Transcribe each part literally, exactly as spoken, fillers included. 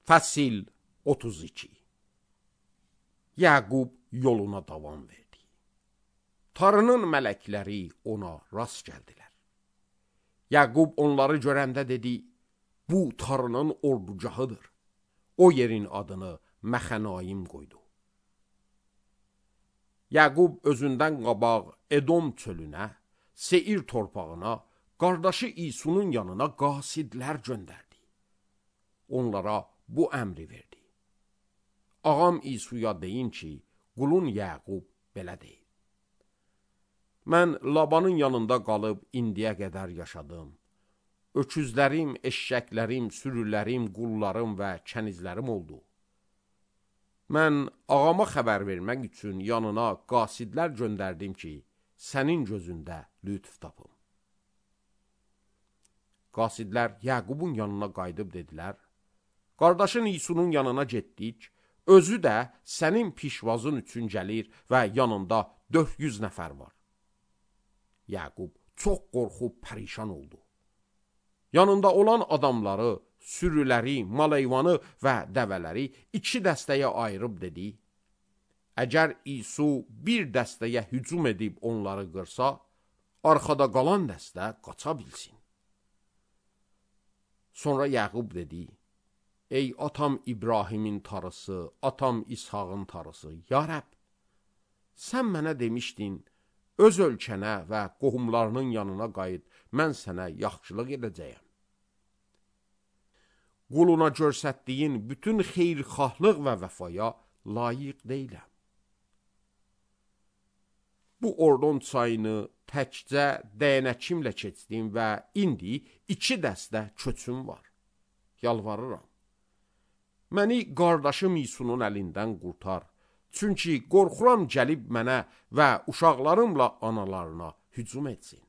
Fəsil otuz iki. Yaqub yoluna davam verdi. Tarının mələkləri ona rast gəldilər. Yaqub onları görəndə dedi, bu tarının ordugahıdır. O yerin adını Məxənaim qoydu. Yaqub özündən qabaq Edom çölünə, Seir torpağına, qardaşı İsunun yanına qasidlər göndərdi. Onlara bu əmri verdi. Ağam İsuya deyin ki, qulun Yaqub belə deyil. Mən Labanın yanında qalıb indiyə qədər yaşadım. Öküzlərim, eşşəklərim, sürülərim, qullarım və kənizlərim oldu. Mən ağama xəbər vermək üçün yanına qasidlər göndərdim ki, sənin gözündə lütf tapım. Qasidlər Yaqubun yanına qayıdıb dedilər, qardaşın İsunun yanına getdik, özü də sənin pişvazın üçün gəlir və yanında dörd yüz nəfər var. Yaqub çox qorxub pərişan oldu. Yanında olan adamları, sürüləri, malayvanı və dəvələri iki dəstəyə ayırıb dedi, əgər İsu bir dəstəyə hücum edib onları qırsa, arxada qalan dəstə qaça bilsin. Sonra Yaqub dedi, ey atam İbrahimin tarısı, atam İshağın tarısı, ya Rəbb, sən mənə demişdin, öz ölkənə və qohumlarının yanına qayıt, mən sənə yaxşılıq edəcəyəm. Quluna görsətdiyin bütün xeyrxahlıq və vəfaya layiq deyiləm. Bu Ordon çayını təkcə dəyənəkimlə keçdim və indi iki dəstə köçüm var. Yalvarıram. Məni qardaşım İsunun əlindən qurtar. Çünki qorxuram gəlib mənə və uşaqlarımla analarına hücum etsin.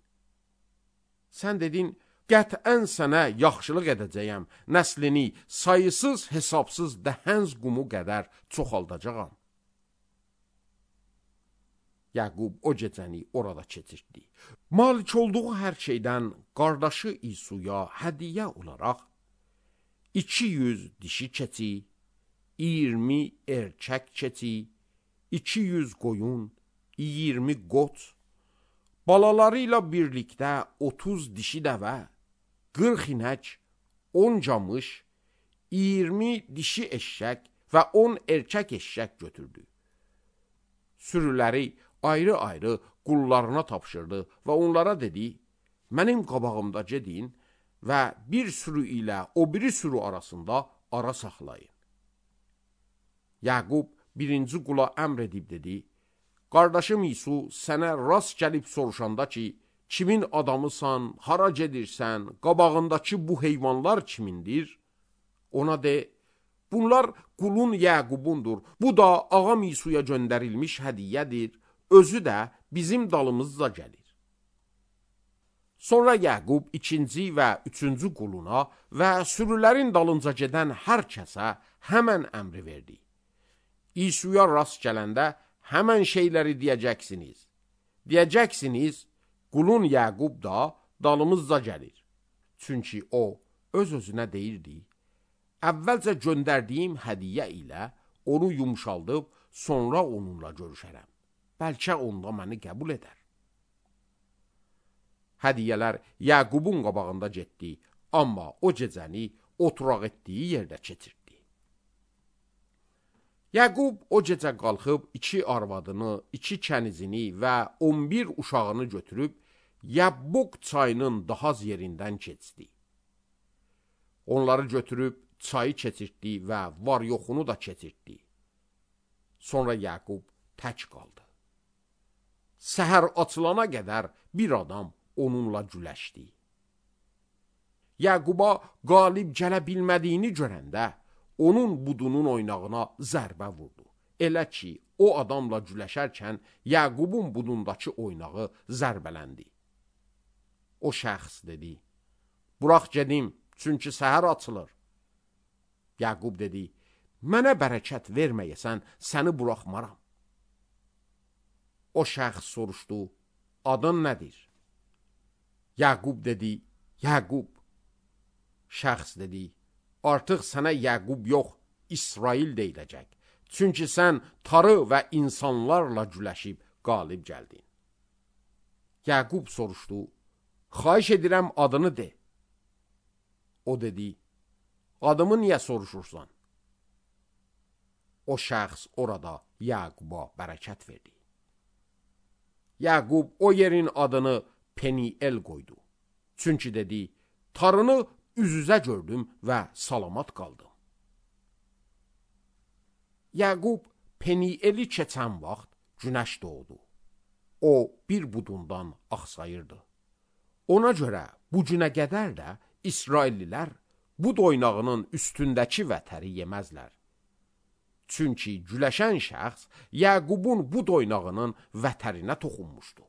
Sən dedin, qətən sənə yaxşılıq edəcəyəm, nəslini sayısız hesabsız dəhənz qumu qədər çoxaldacağam. Yaqub o gecəni orada keçirdi. Malik olduğu hər şeydən qardaşı İsuya hədiyyə olaraq iki yüz dişi keçi, iyirmi erkək keçi, iki yüz qoyun, iyirmi qoç, balaları ilə birlikdə otuz dişi dəvə, qırx inək, on camış, iyirmi dişi eşşək və on erkək eşşək götürdü. Sürüləri ayrı-ayrı qullarına tapşırdı və onlara dedi, mənim qabağımda gedin və bir sürü ilə o biri sürü arasında ara saxlayın. Yaqub birinci qula əmr edib dedi, qardaşım İsu sənə rast gəlib soruşanda ki, kimin adamısan, hara gedirsən, qabağındakı bu heyvanlar kimindir? Ona de, bunlar qulun Yaqubundur, bu da ağam İsuya göndərilmiş hədiyyədir, özü də bizim dalımızda gəlir. Sonra Yaqub ikinci və üçüncü quluna və sürülərin dalınca gedən hər kəsə həmən əmri verdi. İsuya rast gələndə həmən şeyləri deyəcəksiniz. Deyəcəksiniz, qulun Yaqub da dalımızda gəlir. Çünki o öz-özünə deyirdi, əvvəlcə göndərdiyim hədiyyə ilə onu yumşaldıb, sonra onunla görüşərəm. Bəlkə onda məni qəbul edər. Hədiyyələr Yaqubun qabağında getdi, amma o gecəni oturaq etdiyi yerdə keçirdi. Yaqub o gecə qalxıb iki arvadını, iki kənizini və on bir uşağını götürüb Yabbok çayının dahaz yerindən keçdi. Onları götürüb çayı keçirtdi və var-yoxunu da keçirtdi. Sonra Yaqub tək qaldı. Səhər açılana qədər bir adam onunla güləşdi. Yaquba qalib gələ bilmədiyini görəndə, onun budunun oynağına zərbə vurdu. Elə ki, o adamla güləşərkən Yaqubun budundakı oynağı zərbələndi. O şəxs dedi, burax gedim, çünki səhər açılır. Yaqub dedi, mənə bərəkət verməyəsən, səni buraxmaram. O şəxs soruşdu, adın nədir? Yaqub dedi, Yaqub. Şəxs dedi, artıq sənə Yəqub yox, İsrail deyiləcək. Çünki sən tarı və insanlarla güləşib qalib gəldin. Yəqub soruşdu, xahiş edirəm adını de. O dedi, adımı niyə soruşursan? O şəxs orada Yəquba bərəkət verdi. Yəqub o yerin adını Peniel qoydu. Çünki dedi, tarını üz-üzə gördüm və salamat qaldım. Yəqub Penieli keçən vaxt günəş doğdu. O bir budundan axsayırdı. Ona görə bu günə qədər də İsraillilər bud oynağının üstündəki vətəri yeməzlər. Çünki güləşən şəxs Yəqubun bud oynağının vətərinə toxunmuşdu.